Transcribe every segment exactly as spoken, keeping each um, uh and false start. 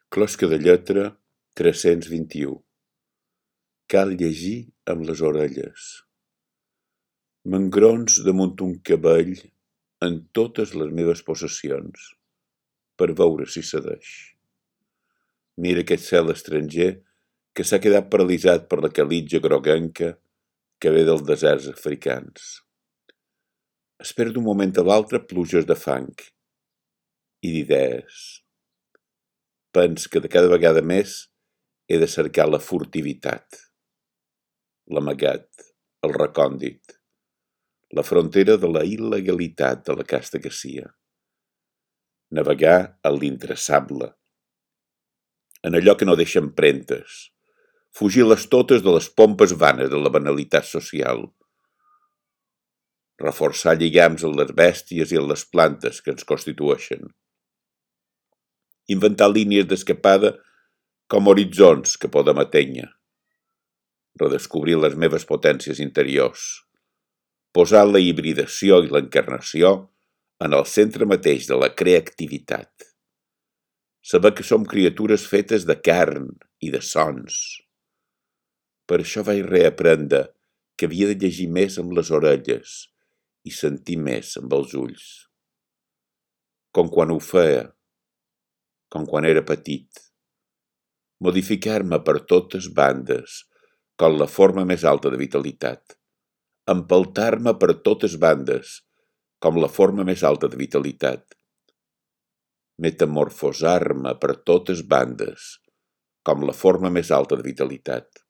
Closca de lletra tres-cents vint-i-u. Cal llegir amb les orelles. M'engrons damunt un cabell en totes les meves possessions, per veure si cedeix. Mira aquest cel estranger que s'ha quedat paralitzat per la calitja groguenca que ve dels deserts africans. Espero d'un moment a l'altre pluges de fang i d'idees. Pens que de cada vegada més he de cercar la furtivitat, l'amagat, el recòndit, la frontera de la il·legalitat de la casta que sia. Navegar a l'intraçable, en allò que no deixa empremtes, fugir les totes de les pompes vanes de la banalitat social, reforçar lligams en les bèsties i en les plantes que ens constitueixen, inventar línies d'escapada com horitzons que podem atènyer, redescobrir les meves potències interiors, posar la hibridació i l'encarnació en el centre mateix de la creativitat, saber que som criatures fetes de carn i de sons. Per això vaig reaprendre que havia de llegir més amb les orelles i sentir més amb els ulls. Com quan ho feia, com quan era petit. Modificar-me per totes bandes, com la forma més alta de vitalitat. Empeltar-me per totes bandes, com la forma més alta de vitalitat. Metamorfosar-me per totes bandes, com la forma més alta de vitalitat.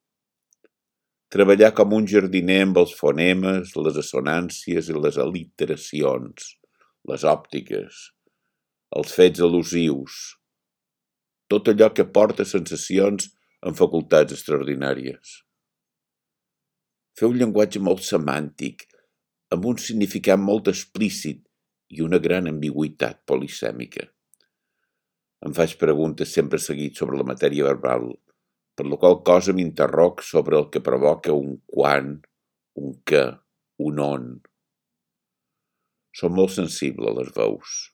Treballar com un jardiner amb els fonemes, les assonàncies i les al·literacions, les òptiques, els fets al·lusius, tot allò que porta sensacions amb facultats extraordinàries. Fer un llenguatge molt semàntic, amb un significat molt explícit i una gran ambigüitat polisèmica. Em faig preguntes sempre seguit sobre la matèria verbal, per la qual cosa m'interroc sobre el que provoca un quan, un què, un on. Som molt sensible a les veus.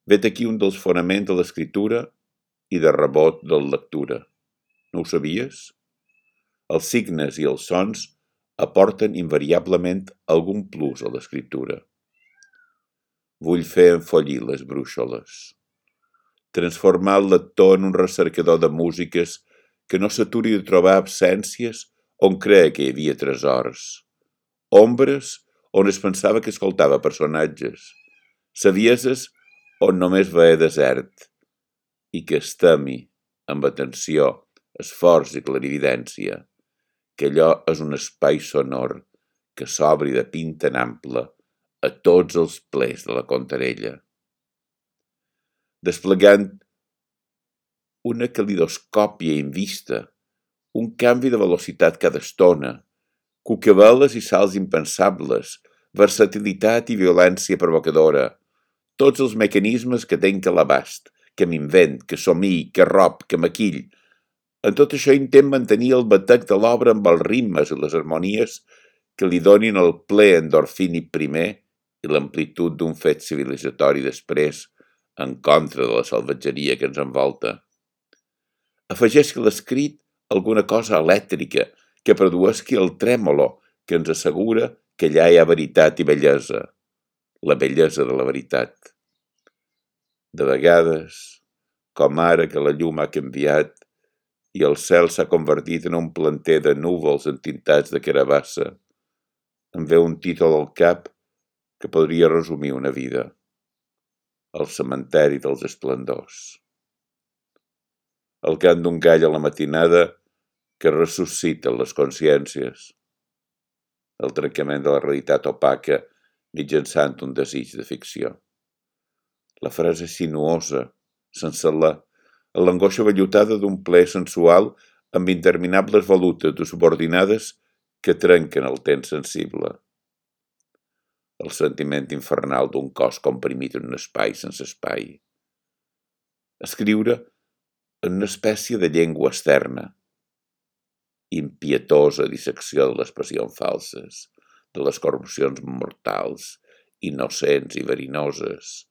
Vet aquí un dels fonaments de l'escriptura i de rebot de la lectura. No ho sabies? Els signes i els sons aporten invariablement algun plus a l'escriptura. Vull fer enfollir les brúixoles. Transformar el lector en un recercador de músiques que no s'aturi de trobar absències on creia que hi havia tresors, ombres on es pensava que escoltava personatges, savieses on només veia desert, i que es temi, amb atenció, esforç i clarividència, que allò és un espai sonor que s'obri de pinta en ample a tots els plers de la contarella. Desplegant una calidoscòpia invista, un canvi de velocitat cada estona, cucaveles i salts impensables, versatilitat i violència provocadora, tots els mecanismes que tenc a l'abast, que m'invent, que somii, que rob, que maquill. En tot això intent mantenir el batec de l'obra amb els ritmes i les harmonies que li donin el ple endorfínic primer i l'amplitud d'un fet civilitzatori després, en contra de la salvatgeria que ens envolta. Afegeix-hi l'escrit alguna cosa elèctrica que produeixi el trèmolo que ens assegura que allà hi ha veritat i bellesa, la bellesa de la veritat. De vegades, com ara que la llum ha canviat i el cel s'ha convertit en un planter de núvols entintats de carabassa, em ve un títol al cap que podria resumir una vida. El cementeri dels esplendors. El cant d'un gall a la matinada que ressuscita les consciències. El trencament de la realitat opaca mitjançant un desig de ficció. La frase sinuosa, sense la, l'angoixa vellutada d'un ple sensual amb interminables volutes de subordinades que trenquen el temps sensible. El sentiment infernal d'un cos comprimit en un espai sense espai. Escriure en una espècie de llengua externa, impietosa dissecció de les passions falses, de les corrupcions mortals, innocents i verinoses,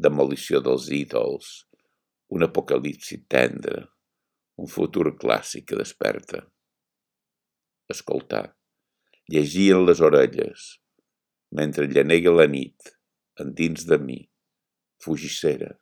demolició dels ídols, un apocalipsi tendre, un futur clàssic que desperta. Escoltar, llegir en les orelles, mentre llanega la nit, endins de mi, fugissera.